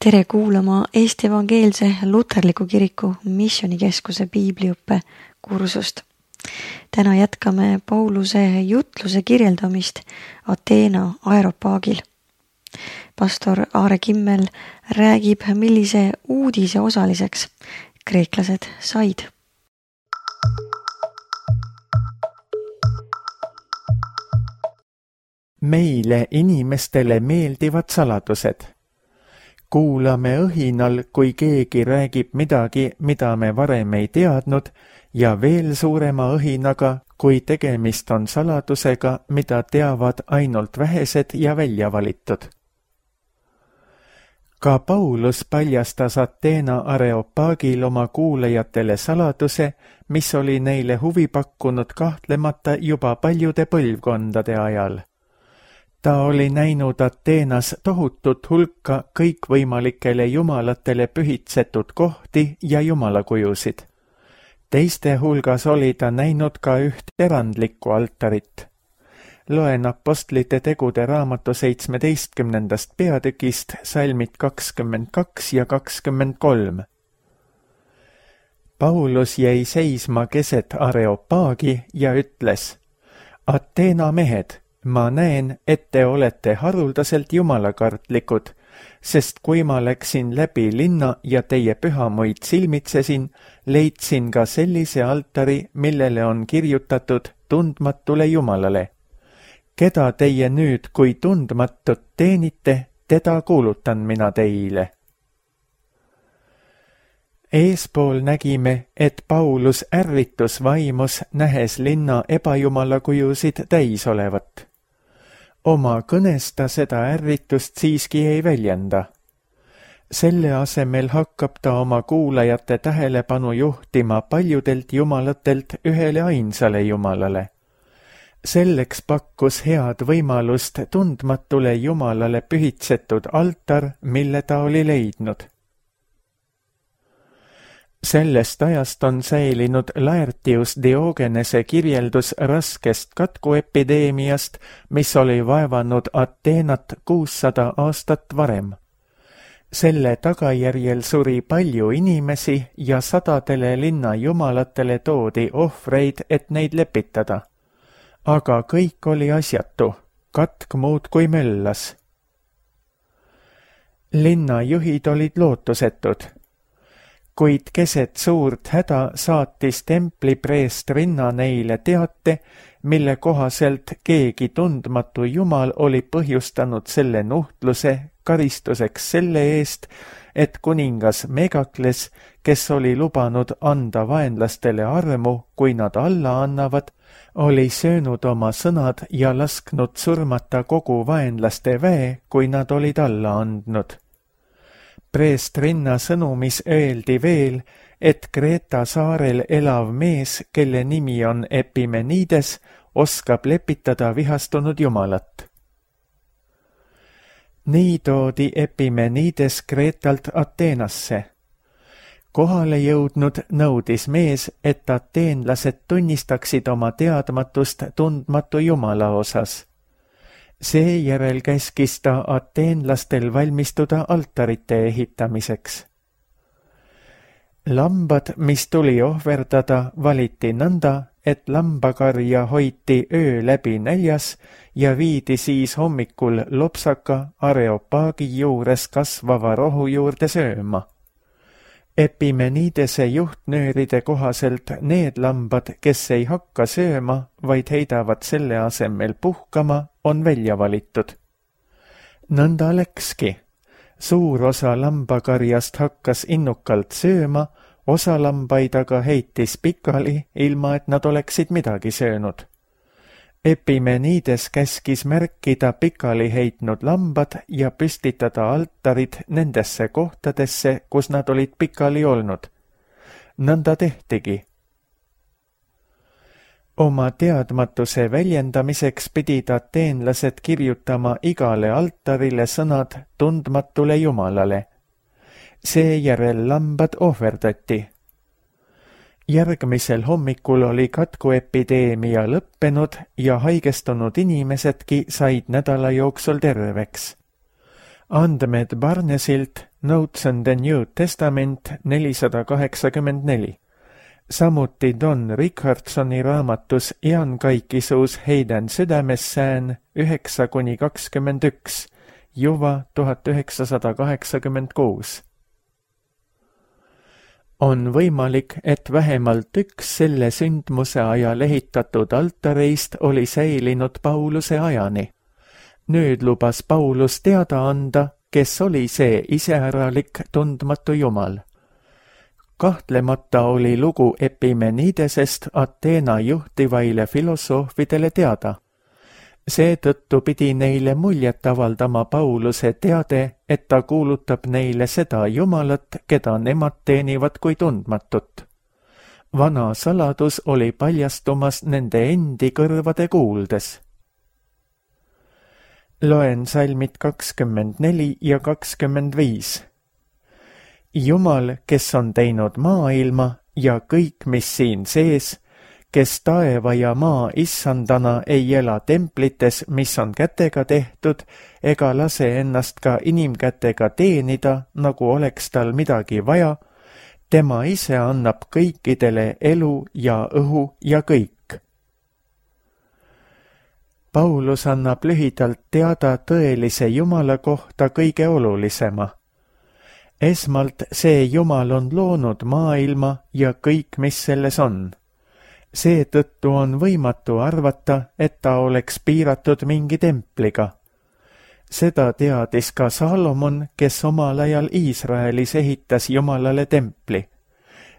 Tere kuulama Eesti Evangeelse Luterliku Kiriku Missioonikeskuse piibliõppe kursust. Täna jätkame Pauluse jutluse kirjeldamist Ateena aeropaagil. Pastor Aare Kimmel räägib, millise uudise osaliseks kreeklased said. Meile inimestele meeldivad saladused. Kuulame õhinal, kui keegi räägib midagi, mida me varem ei teadnud, ja veel suurema õhinaga, kui tegemist on saladusega, mida teavad ainult vähesed ja välja valitud. Ka Paulus paljastas Ateena areopaagil oma kuulajatele saladuse, mis oli neile huvi pakkunud kahtlemata juba paljude põlvkondade ajal. Ta oli näinud Ateenas tohutut hulka kõikvõimalikele jumalatele pühitsetud kohti ja jumalakujusid. Teiste hulgas oli ta näinud ka üht erandlikku altarit. Loen Apostlite tegude raamatu 17. peatükist salmid 22 ja 23. Paulus jäi seisma keset areopaagi ja ütles: Ateena mehed, ma näen, et te olete haruldaselt jumalakartlikud, sest kui ma läksin läbi linna ja teie pühamuid silmitsesin, leidsin ka sellise altari, millele on kirjutatud tundmatule Jumalale. Keda teie nüüd, kui tundmatut teenite, teda kuulutan mina teile. Eespool nägime, et Paulus ärritus vaimus, nähes linna ebajumalakujusid täis olevat. Oma kõnes ta seda ärritust siiski ei väljenda. Selle asemel hakkab ta oma kuulajate tähelepanu juhtima paljudelt jumalatelt ühele ainsale Jumalale. Selleks pakkus head võimalust tundmatule Jumalale pühitsetud altar, mille ta oli leidnud. Sellest ajast on säilinud Laertius Diogenese kirjeldus raskest katkuepideemiast, mis oli vaevanud Ateenat 600 aastat varem. Selle tagajärjel suri palju inimesi ja sadadele linna jumalatele toodi ohvreid, et neid lepitada. Aga kõik oli asjatu, katk muudkui möllas. Linnajuhid olid lootusetud. Kuid keset suurt häda saatis templipreest Rinna neile teate, mille kohaselt keegi tundmatu Jumal oli põhjustanud selle nuhtluse karistuseks selle eest, et kuningas Megakles, kes oli lubanud anda vaenlastele armu, kui nad alla annavad, oli söönud oma sõnad ja lasknud surmata kogu vaenlaste väe, kui nad olid alla andnud. Preest Rinna sõnumis öeldi veel, et Kreeta saarel elav mees, kelle nimi on Epimenides, oskab lepitada vihastunud Jumalat. Nii toodi Epimenides Kreetalt Ateenasse. Kohale jõudnud nõudis mees, et ateenlased tunnistaksid oma teadmatust tundmatu Jumala osas. Seejärel käskis ta ateenlastel valmistuda altarite ehitamiseks. Lambad, mis tuli ohverdada, valiti nõnda, et lambakarja hoiti öö läbi näljas ja viidi siis hommikul lopsaka areopaagi juures kasvava rohu juurde sööma. Epimenidese juhtnööride kohaselt need lambad, kes ei hakka sööma, vaid heidavad selle asemel puhkama, on välja valitud. Nõnda läkski. Suur osa lambakarjast hakkas innukalt sööma, osa lambaid aga heitis pikali, ilma et nad oleksid midagi söönud. Epimenides käskis märkida pikali heitnud lambad ja püstitada altarid nendesse kohtadesse, kus nad olid pikali olnud. Nõnda tehtigi. Oma teadmatuse väljendamiseks pidid ateenlased kirjutama igale altarile sõnad tundmatule Jumalale. Seejärel lambad ohverdati. Järgmisel hommikul oli katkuepideemia lõppenud ja haigestunud inimesedki said nädala jooksul terveks. Andmed Barnesilt, Notes on the New Testament 484. Samuti Don Richardsoni raamatus Iankaikkisuus heidän südamessään 9-21, Juva 1986. On võimalik, et vähemalt üks selle sündmuse ajal ehitatud altareist oli säilinud Pauluse ajani. Nüüd lubas Paulus teada anda, kes oli see iseäralik tundmatu jumal. Kahtlemata oli lugu Epimenidesest Ateena juhtivaile filosoofidele teada. Seetõttu pidi neile muljet avaldama Pauluse teade, et ta kuulutab neile seda jumalat, keda nemad teenivad kui tundmatut. Vana saladus oli paljastumas nende endi kõrvade kuuldes. Loen salmid 24 ja 25. Jumal, kes on teinud maailma ja kõik, mis siin sees, kes taeva ja maa issandana ei ela templites, mis on kätega tehtud, ega lase ennast ka inimkätega teenida, nagu oleks tal midagi vaja, tema ise annab kõikidele elu ja õhu ja kõik. Paulus annab lühidalt teada tõelise Jumala kohta kõige olulisema. Esmalt see Jumal on loonud maailma ja kõik, mis selles on. Seetõttu on võimatu arvata, et ta oleks piiratud mingi templiga. Seda teadis ka Salomon, kes omal ajal Iisraelis ehitas Jumalale templi.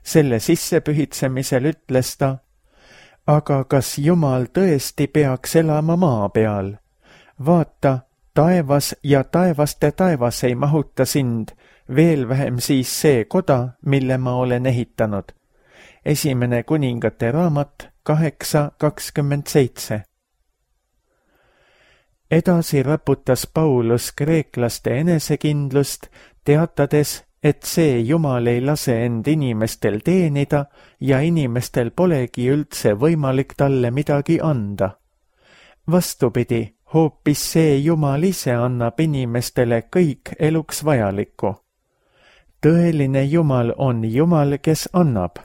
Selle sissepühitsemisel ütles ta, aga kas Jumal tõesti peaks elama maa peal? Vaata, taevas ja taevaste taevas ei mahuta sind, veel vähem siis see koda, mille ma olen ehitanud. Esimene kuningate raamat 8:27. Edasi raputas Paulus kreeklaste enesekindlust, teatades, et see Jumal ei lase end inimestel teenida ja inimestel polegi üldse võimalik talle midagi anda. Vastupidi, hoopis see Jumal ise annab inimestele kõik eluks vajalikku. Tõeline Jumal on Jumal, kes annab.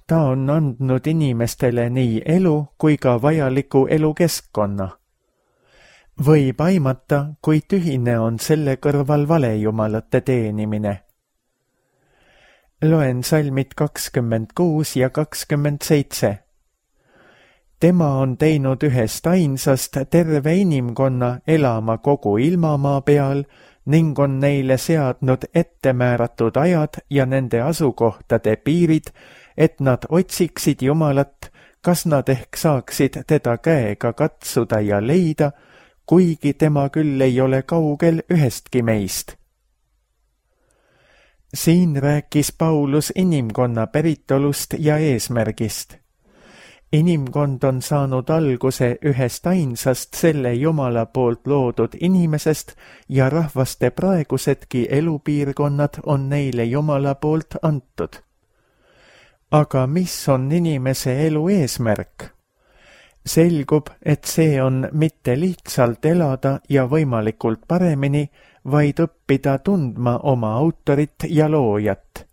Ta on andnud inimestele nii elu kui ka vajaliku elukeskkonna. Võib aimata, kui tühine on selle kõrval valejumalate teenimine. Loen salmid 26 ja 27. Tema on teinud ühest ainsast terve inimkonna elama kogu ilmamaa peal ning on neile seadnud ettemääratud ajad ja nende asukohtade piirid, et nad otsiksid Jumalat, kas nad ehk saaksid teda käega katsuda ja leida, kuigi tema küll ei ole kaugel ühestki meist. Siin rääkis Paulus inimkonna päritolust ja eesmärgist. Inimkond on saanud alguse ühest ainsast selle Jumala poolt loodud inimesest ja rahvaste praegusedki elupiirkonnad on neile Jumala poolt antud. Aga mis on inimese elu eesmärk? Selgub, et see on mitte lihtsalt elada ja võimalikult paremini, vaid õppida tundma oma autorit ja loojat.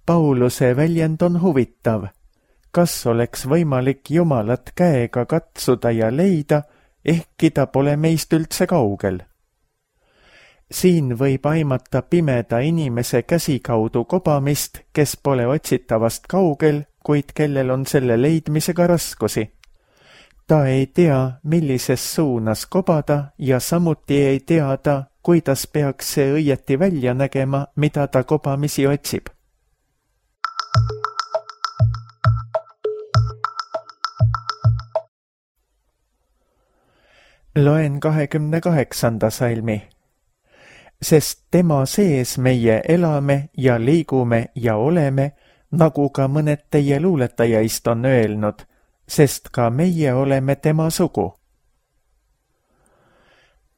Pauluse väljend on huvitav. Kas oleks võimalik Jumalat käega katsuda ja leida, ehkki ta pole meist üldse kaugel? Siin võib aimata pimeda inimese käsikaudu kobamist, kes pole otsitavast kaugel, kuid kellel on selle leidmisega raskusi. Ta ei tea, millises suunas kobada ja samuti ei tea ta, kuidas peaks see õieti välja nägema, mida ta kobamisi otsib. Loen 28. salmi. Sest tema sees meie elame ja liigume ja oleme, nagu ka mõned teie luuletajaist on öelnud, sest ka meie oleme tema sugu.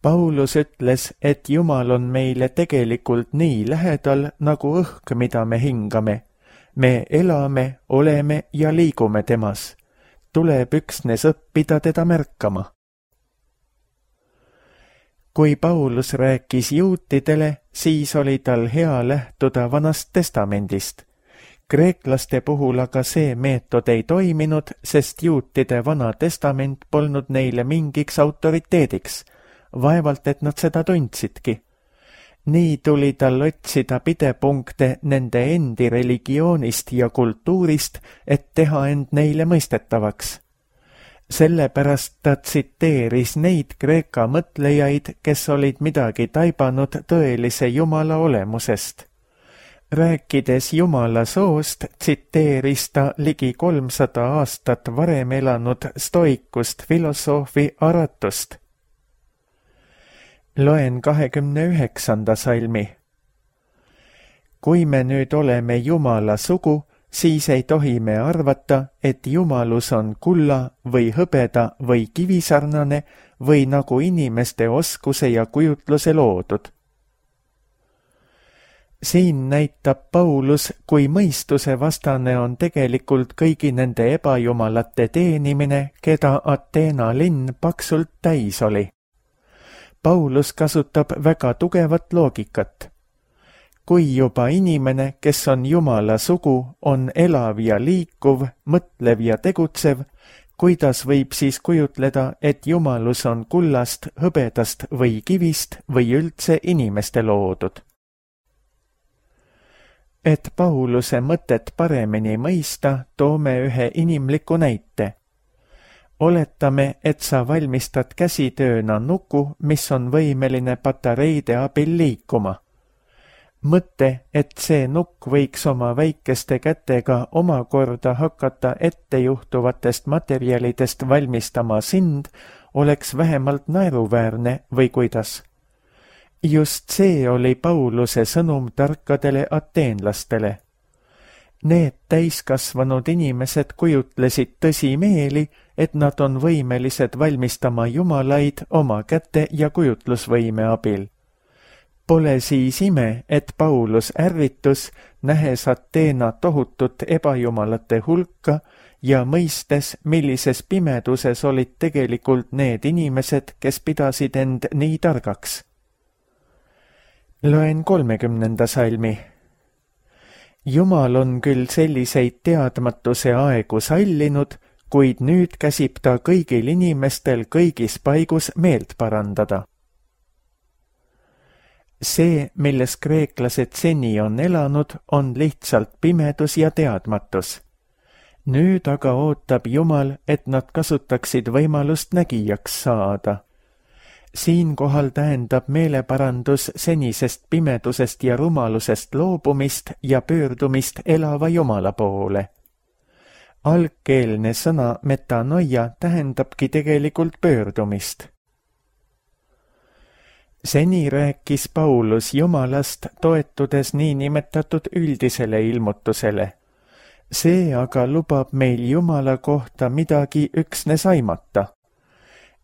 Paulus ütles, et Jumal on meile tegelikult nii lähedal nagu õhk, mida me hingame. Me elame, oleme ja liigume temas. Tuleb üksnes õppida teda märkama. Kui Paulus rääkis juutidele, siis oli tal hea lähtuda Vanast Testamendist. Kreeklaste puhul aga see meetod ei toiminud, sest juutide Vana Testament polnud neile mingiks autoriteediks. Vaevalt, et nad seda tundsidki. Nii tuli tal otsida pidepunkte nende endi religioonist ja kultuurist, et teha end neile mõistetavaks. Sellepärast ta tsiteeris neid Kreeka mõtlejaid, kes olid midagi taibanud tõelise Jumala olemusest. Rääkides Jumala soost, tsiteeris ta ligi 300 aastat varem elanud stoikust filosoofi Aratust. Loen 29. salmi. Kui me nüüd oleme Jumala sugu, siis ei tohi me arvata, et jumalus on kulla või hõbeda või kivisarnane või nagu inimeste oskuse ja kujutluse loodud. Siin näitab Paulus, kui mõistuse vastane on tegelikult kõigi nende ebajumalate teenimine, keda Ateena linn paksult täis oli. Paulus kasutab väga tugevat loogikat. Kui juba inimene, kes on Jumala sugu, on elav ja liikuv, mõtlev ja tegutsev, kuidas võib siis kujutleda, et jumalus on kullast, hõbedast või kivist või üldse inimeste loodud? Et Pauluse mõtet paremini mõista, toome ühe inimliku näite. Oletame, et sa valmistad käsitööna nuku, mis on võimeline patareide abil liikuma. Mõte, et see nukk võiks oma väikeste kätega omakorda hakata ettejuhtuvatest materjalidest valmistama sind, oleks vähemalt naeruväärne või kuidas. Just see oli Pauluse sõnum tarkadele ateenlastele. Need täiskasvanud inimesed kujutlesid tõsimeeli, et nad on võimelised valmistama jumalaid oma käte ja kujutlusvõime abil. Pole siis ime, et Paulus ärritus, nähes Ateena tohutut ebajumalate hulka ja mõistes, millises pimeduses olid tegelikult need inimesed, kes pidasid end nii targaks. Loen 30. salmi. Jumal on küll selliseid teadmatuse aegu sallinud, kuid nüüd käsib ta kõigil inimestel kõigis paigus meelt parandada. See, milles kreeklased seni on elanud, on lihtsalt pimedus ja teadmatus. Nüüd aga ootab Jumal, et nad kasutaksid võimalust nägijaks saada. Siinkohal tähendab meeleparandus senisest pimedusest ja rumalusest loobumist ja pöördumist elava Jumala poole. Algkeelne sõna metanoia tähendabki tegelikult pöördumist. Seni rääkis Paulus Jumalast toetudes niinimetatud üldisele ilmutusele. See aga lubab meil Jumala kohta midagi üksnes aimata.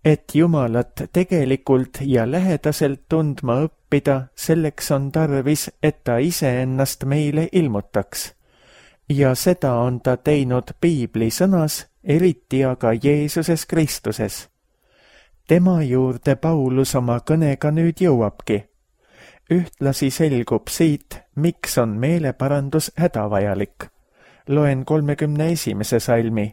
Et Jumalat tegelikult ja lähedaselt tundma õppida, selleks on tarvis, et ta iseennast meile ilmutaks. Ja seda on ta teinud Piibli sõnas, eriti aga Jeesuses Kristuses. Tema juurde Paulus oma kõnega nüüd jõuabki. Ühtlasi selgub siit, miks on meeleparandus hädavajalik. Loen 31. salmi.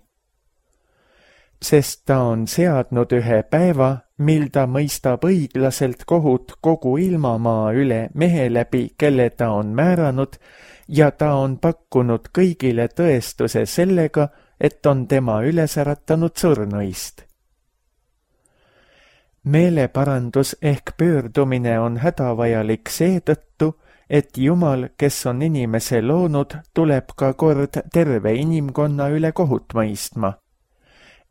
Sest ta on seadnud ühe päeva, mil ta mõistab õiglaselt kohut kogu ilmamaa üle mehe läbi, kelle ta on määranud, ja ta on pakkunud kõigile tõestuse sellega, et on tema üles äratanud surnuist. Meeleparandus ehk pöördumine on hädavajalik seetõttu, et Jumal, kes on inimese loonud, tuleb ka kord terve inimkonna üle kohut mõistma.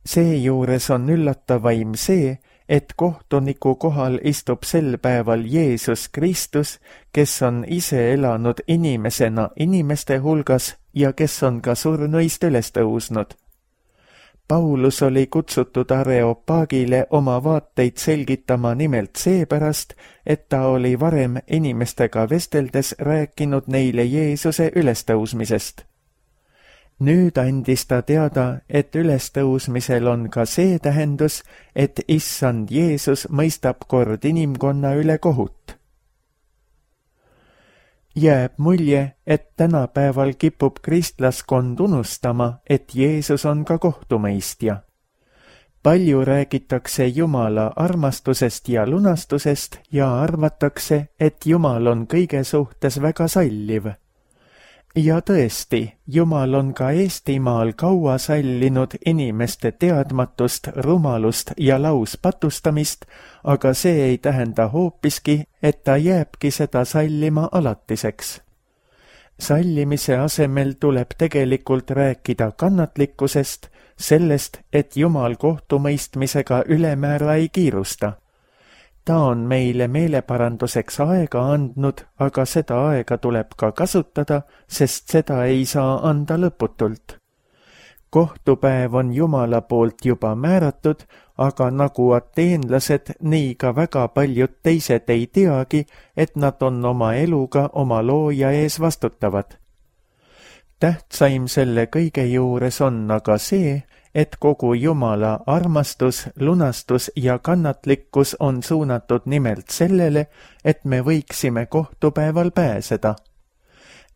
Seejuures on üllatavaim see, et kohtuniku kohal istub sel päeval Jeesus Kristus, kes on ise elanud inimesena inimeste hulgas ja kes on ka surnuist üles tõusnud. Paulus oli kutsutud Areopagile oma vaateid selgitama nimelt seepärast, et ta oli varem inimestega vesteldes rääkinud neile Jeesuse ülestõusmisest. Nüüd andis ta teada, et ülestõusmisel on ka see tähendus, et issand Jeesus mõistab kord inimkonna üle kohut. Jääb mulje, et tänapäeval kipub kristlaskond unustama, et Jeesus on ka kohtumõistja. Palju räägitakse Jumala armastusest ja lunastusest ja arvatakse, et Jumal on kõige suhtes väga salliv. Ja tõesti, Jumal on ka Eestimaal kaua sallinud inimeste teadmatust, rumalust ja lauspatustamist, aga see ei tähenda hoopiski, et ta jääbki seda sallima alatiseks. Sallimise asemel tuleb tegelikult rääkida kannatlikkusest, sellest, et Jumal kohtumõistmisega ülemäära ei kiirusta. Ta on meile meeleparanduseks aega andnud, aga seda aega tuleb ka kasutada, sest seda ei saa anda lõputult. Kohtupäev on Jumala poolt juba määratud, aga nagu ateenlased, nii ka väga paljud teised ei teagi, et nad on oma eluga oma looja ees vastutavad. Tähtsaim selle kõige juures on aga see, et kogu Jumala armastus, lunastus ja kannatlikkus on suunatud nimelt sellele, et me võiksime kohtupäeval pääseda.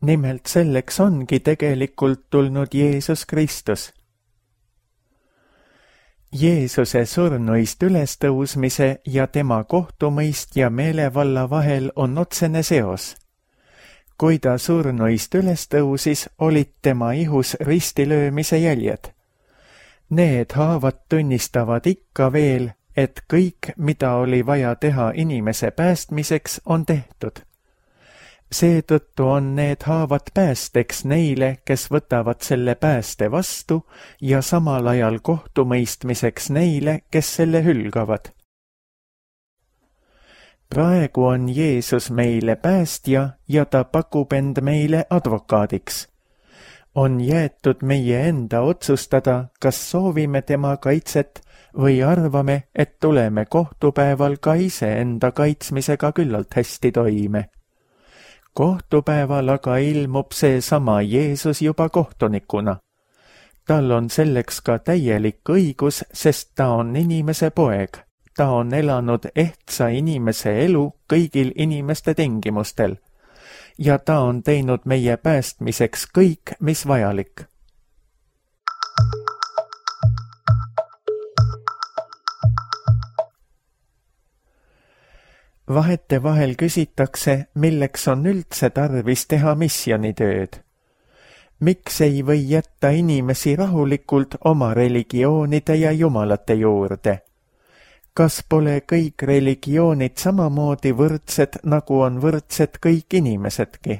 Nimelt selleks ongi tegelikult tulnud Jeesus Kristus. Jeesuse surnuist ülestõusmise ja tema kohtumõistja meelevalla vahel on otsene seos. Kui ta surnuist ülestõusis, olid tema ihus ristilöömise jäljed. Need haavad tunnistavad ikka veel, et kõik, mida oli vaja teha inimese päästmiseks, on tehtud. Seetõttu on need haavad päästeks neile, kes võtavad selle pääste vastu ja samal ajal kohtumõistmiseks neile, kes selle hülgavad. Praegu on Jeesus meile päästja ja ta pakub end meile advokaadiks. On jäetud meie enda otsustada, kas soovime tema kaitset või arvame, et tuleme kohtupäeval ka ise enda kaitsmisega küllalt hästi toime. Kohtupäeval aga ilmub seesama Jeesus juba kohtunikuna. Tal on selleks ka täielik õigus, sest ta on inimese poeg. Ta on elanud ehtsa inimese elu kõigil inimeste tingimustel. Ja ta on teinud meie päästmiseks kõik, mis vajalik. Vahetevahel küsitakse, milleks on üldse tarvis teha missioonitööd. Miks ei või jätta inimesi rahulikult oma religioonide ja jumalate juurde? Kas pole kõik religioonid samamoodi võrdsed, nagu on võrdsed kõik inimesedki?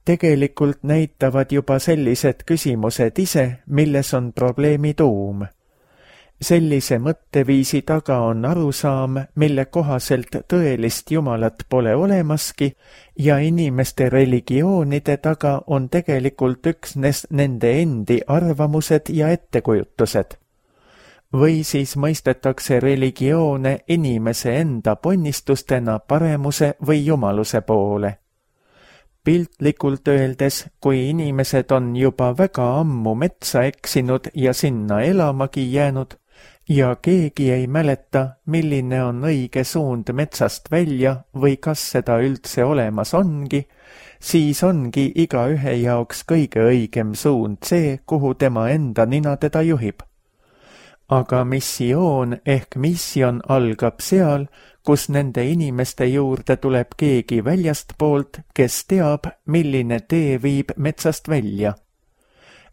Tegelikult näitavad juba sellised küsimused ise, milles on probleemi tuum. Sellise mõtteviisi taga on arusaam, mille kohaselt tõelist Jumalat pole olemaski ja inimeste religioonide taga on tegelikult üksnes nende endi arvamused ja ettekujutused. Või siis mõistetakse religioone inimese enda ponnistustena paremuse või jumaluse poole. Piltlikult öeldes, kui inimesed on juba väga ammu metsa eksinud ja sinna elamagi jäänud ja keegi ei mäleta, milline on õige suund metsast välja või kas seda üldse olemas ongi, siis ongi igaühe jaoks kõige õigem suund see, kuhu tema enda nina teda juhib. Aga missioon ehk mission algab seal, kus nende inimeste juurde tuleb keegi väljastpoolt, kes teab, milline tee viib metsast välja.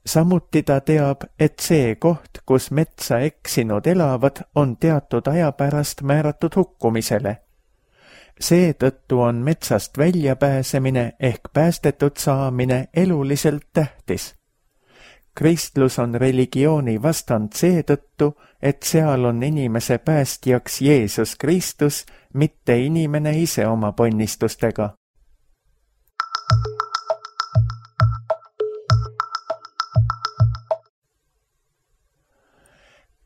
Samuti ta teab, et see koht, kus metsa eksinud elavad, on teatud aja pärast määratud hukkumisele. Seetõttu on metsast väljapääsemine ehk päästetud saamine eluliselt tähtis. Kristlus on religiooni vastand seetõttu, et seal on inimese päästjaks Jeesus Kristus, mitte inimene ise oma ponnistustega.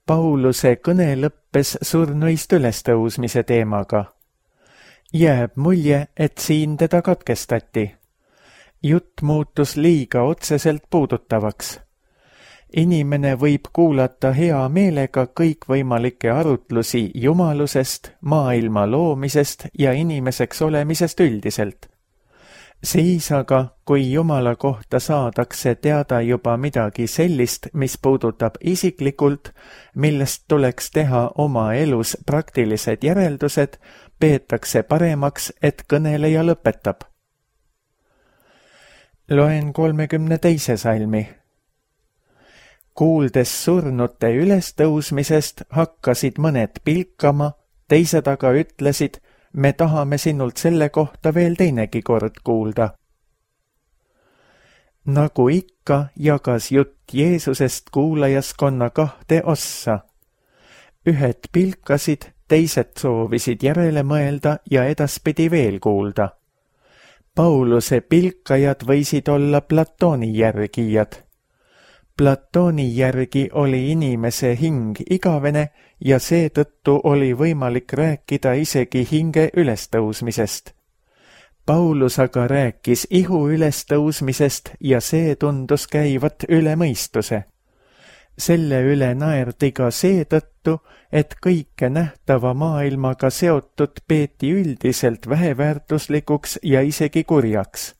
Pauluse kõne lõppes surnuist ülestõusmise teemaga. Jääb mulje, et siin teda katkestati. Jutt muutus liiga otseselt puudutavaks. Inimene võib kuulata hea meelega kõikvõimalikke arutlusi jumalusest, maailma loomisest ja inimeseks olemisest üldiselt. Siis aga, kui Jumala kohta saadakse teada juba midagi sellist, mis puudutab isiklikult, millest tuleks teha oma elus praktilised järeldused, peetakse paremaks, et kõneleja lõpetab. Loen 32. salmi. Kuuldes surnute ülestõusmisest hakkasid mõned pilkama, teised aga ütlesid, me tahame sinult selle kohta veel teinegi kord kuulda. Nagu ikka jagas jutt Jeesusest kuulajaskonna 2 ossa. Ühed pilkasid, teised soovisid järele mõelda ja edaspidi veel kuulda. Pauluse pilkajad võisid olla Platoni järgijad. Platoni järgi oli inimese hing igavene ja seetõttu oli võimalik rääkida isegi hinge ülestõusmisest. Paulus aga rääkis ihu ülestõusmisest ja see tundus käivat üle mõistuse. Selle üle naerdi ka seetõttu, et kõike nähtava maailmaga seotud peeti üldiselt väheväärtuslikuks ja isegi kurjaks.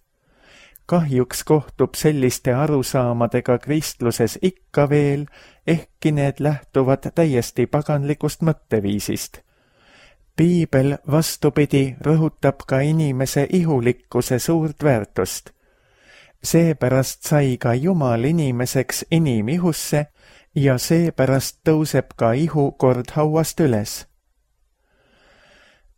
Kahjuks kohtub selliste arusaamadega kristluses ikka veel, ehkki need lähtuvad täiesti paganlikust mõtteviisist. Piibel vastupidi rõhutab ka inimese ihulikkuse suurt väärtust. Seepärast sai ka Jumal inimeseks inimihusse ja seepärast tõuseb ka ihu kord hauast üles.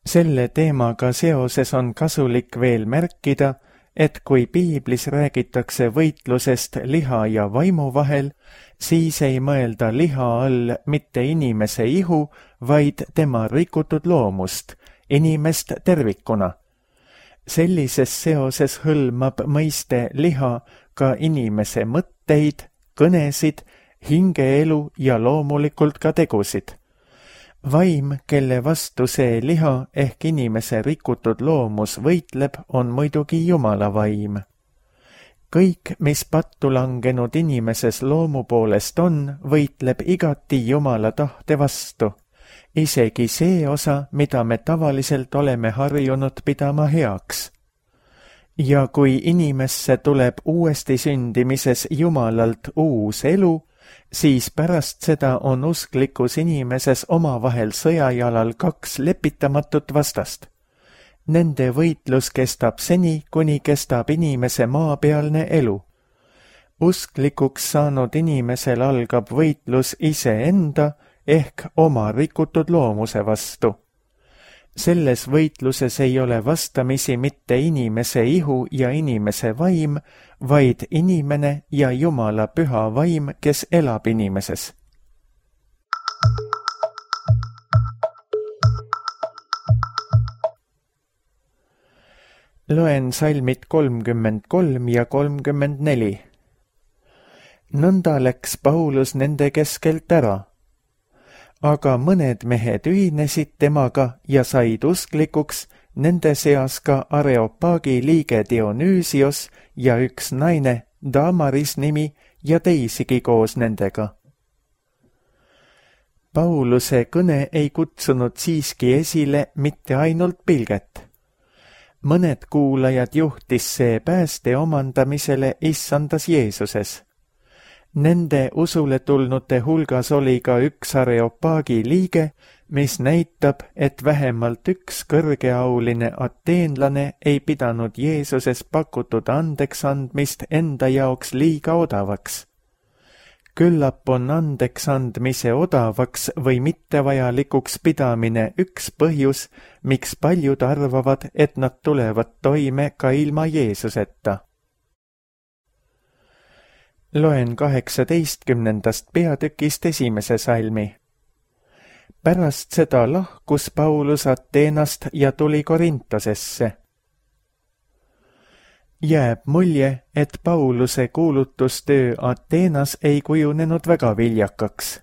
Selle teemaga seoses on kasulik veel märkida, et kui piiblis räägitakse võitlusest liha ja vaimu vahel, siis ei mõelda liha all mitte inimese ihu, vaid tema rikutud loomust, inimest tervikuna. Sellises seoses hõlmab mõiste liha ka inimese mõtteid, kõnesid, hingeelu ja loomulikult ka tegusid. Vaim, kelle vastu see liha ehk inimese rikutud loomus võitleb, on muidugi Jumala vaim. Kõik, mis pattu langenud inimeses loomu poolest on, võitleb igati Jumala tahte vastu. Isegi see osa, mida me tavaliselt oleme harjunud pidama heaks. Ja kui inimesse tuleb uuesti sündimises Jumalalt uus elu, siis pärast seda on usklikus inimeses omavahel sõjajalal 2 lepitamatut vastast. Nende võitlus kestab seni, kuni kestab inimese maapealne elu. Usklikuks saanud inimesel algab võitlus iseenda ehk oma rikutud loomuse vastu. Selles võitluses ei ole vastamisi mitte inimese ihu ja inimese vaim, vaid inimene ja Jumala püha vaim, kes elab inimeses. Loen salmid 33 ja 34. Nõnda läks Paulus nende keskelt ära. Aga mõned mehed ühinesid temaga ja said usklikuks, nende seas ka Areopagi liige Dionüüsios ja üks naine, Damaris nimi ja teisigi koos nendega. Pauluse kõne ei kutsunud siiski esile mitte ainult pilget. Mõned kuulajad juhtis see pääste omandamisele issandas Jeesuses. Nende usule tulnute hulgas oli ka üks Areopagi liige, mis näitab, et vähemalt üks kõrgeauline ateenlane ei pidanud Jeesuses pakutud andeksandmist enda jaoks liiga odavaks. Küllap on andeksandmise odavaks või mittevajalikuks pidamine üks põhjus, miks paljud arvavad, et nad tulevad toime ka ilma Jeesuseta. Loen 18. peatükist 1. salmi. Pärast seda lahkus Paulus Ateenast ja tuli Korintosesse. Jääb mulje, et Pauluse kuulutustöö Ateenas ei kujunenud väga viljakaks.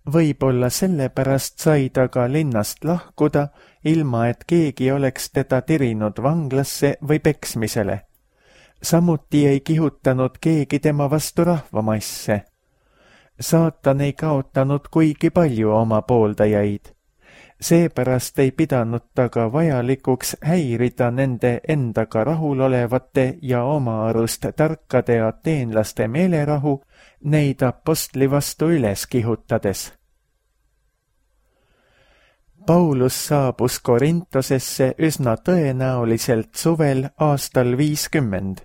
Võib-olla sellepärast sai ta ka linnast lahkuda, ilma et keegi oleks teda tirinud vanglasse või peksmisele. Samuti ei kihutanud keegi tema vastu rahvamasse. Saatan ei kaotanud kuigi palju oma pooldajaid. Seepärast ei pidanud ta ka vajalikuks häirida nende endaga rahulolevate ja oma arust tarkade ateenlaste meelerahu neid apostli vastu üles kihutades. Paulus saabus Korintosesse üsna tõenäoliselt suvel aastal 50.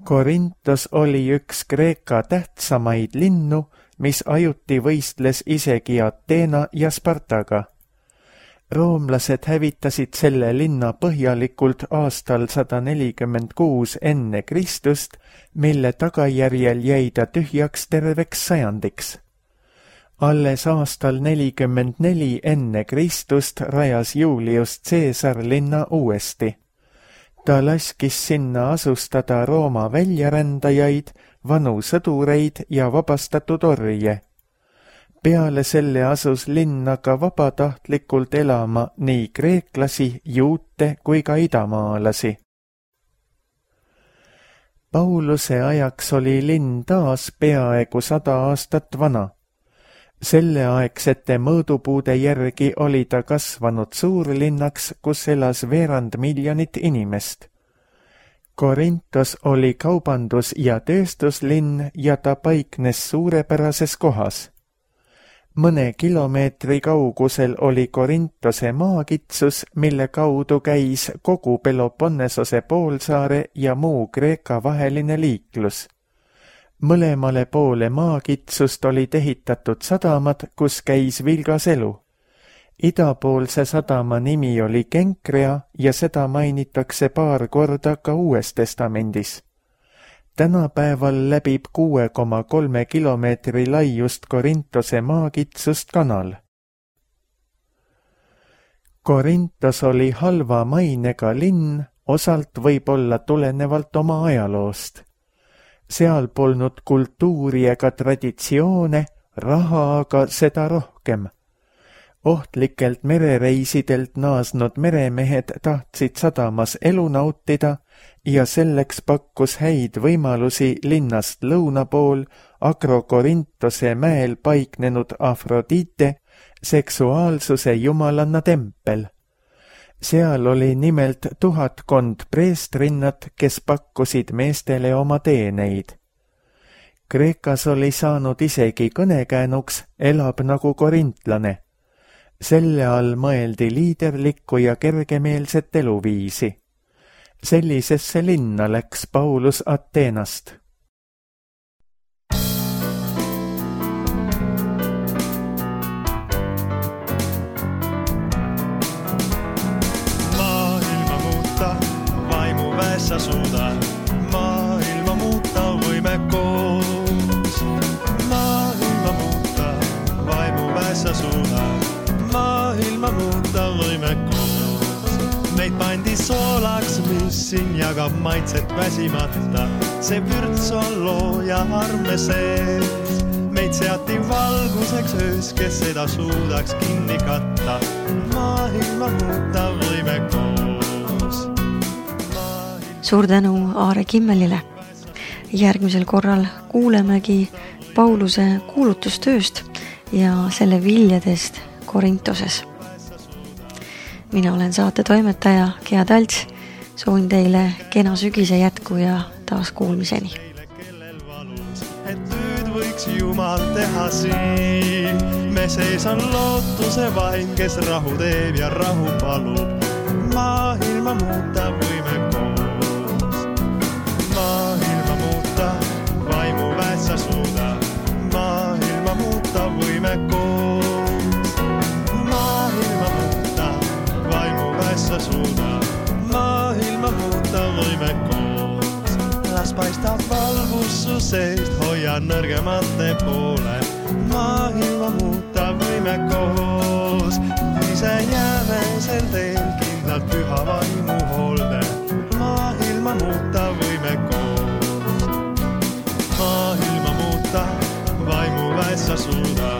Korintos oli üks Kreeka tähtsamaid linnu, mis ajuti võistles isegi Ateena ja Spartaga. Roomlased hävitasid selle linna põhjalikult aastal 146 enne Kristust, mille tagajärjel jäi ta tühjaks terveks sajandiks. Alles aastal 44 enne Kristust rajas Julius Caesar linna uuesti. Ta laskis sinna asustada Rooma väljarändajaid, vanu sõdureid ja vabastatud orje. Peale selle asus linna ka vabatahtlikult elama nii kreeklasi, juute kui ka idamaalasi. Pauluse ajaks oli linn taas peaaegu 100 aastat vana. Selleaegsete mõõdupuude järgi oli ta kasvanud suurlinnaks, kus elas 2 miljonit inimest. Korintos oli kaubandus- ja tööstuslinn ja ta paiknes suurepärases kohas. Mõne kilomeetri kaugusel oli Korintose maakitsus, mille kaudu käis kogu Peloponnесose poolsaare ja muu Kreeka vaheline liiklus. Mõlemale poole maakitsust oli ehitatud sadamad, kus käis vilgas elu. Idapoolse sadama nimi oli Kenkrea ja seda mainitakse paar korda ka Uues Testamendis. Tänapäeval läbib 6,3 kilomeetri laiust Korintose maakitsust kanal. Korintos oli halva mainega linn, osalt võib-olla tulenevalt oma ajaloost. Seal polnud kultuuri ega traditsioone, raha aga seda rohkem. Ohtlikelt merereisidelt naasnud meremehed tahtsid sadamas elu nautida ja selleks pakkus häid võimalusi linnast lõuna pool Agrokorintose mäel paiknenud Afrodite, seksuaalsuse jumalanna tempel. Seal oli nimelt 1000 preestrinnat, kes pakkusid meestele oma teeneid. Kreekas oli saanud isegi kõnekäänuks elab nagu korintlane. Selle all mõeldi liiderlikku ja kergemeelset eluviisi. Sellisesse linna läks Paulus Ateenast. Maailma muuta, vaimu väessä suuda. Maailma muuta võime koos. Maailma muuta, vaimu väessä suuda. Maailma muuta võime koos. Meid pandi soolaks, mis siin jagab maitset väsimata. See vürts on loo ja arme sees. Meid seati valguseks öös, kes seda suudaks kinni katta. Maailma muuta võime koos. Suur tänu Aare Kimmelile. Järgmisel korral kuulemegi Pauluse kuulutustööst ja selle viljadest Korintoses. Mina olen saate toimetaja Gea Talts. Soovin teile kena sügise jätku ja taas kuulmiseni. Et nüüd võiks Jumal teha siin. Me sees on lootuse vaim, kes rahu teeb ja rahu palub. Maailma muuta võime koos. Maailma muuta, vaimu väessa suuda. Maailma muuta võime koos. Maailma muuta, vaimu väessa suuda. Maailma muuta võime koos. Las paistab valgus su seest, hoia nõrgemate poole. Maailma muuta võime koos. Ise jääme sel teel kindlalt püha vaimu hoolde. Maailma muuta võime koos. Maailma muuta, vaimu väessa suuda.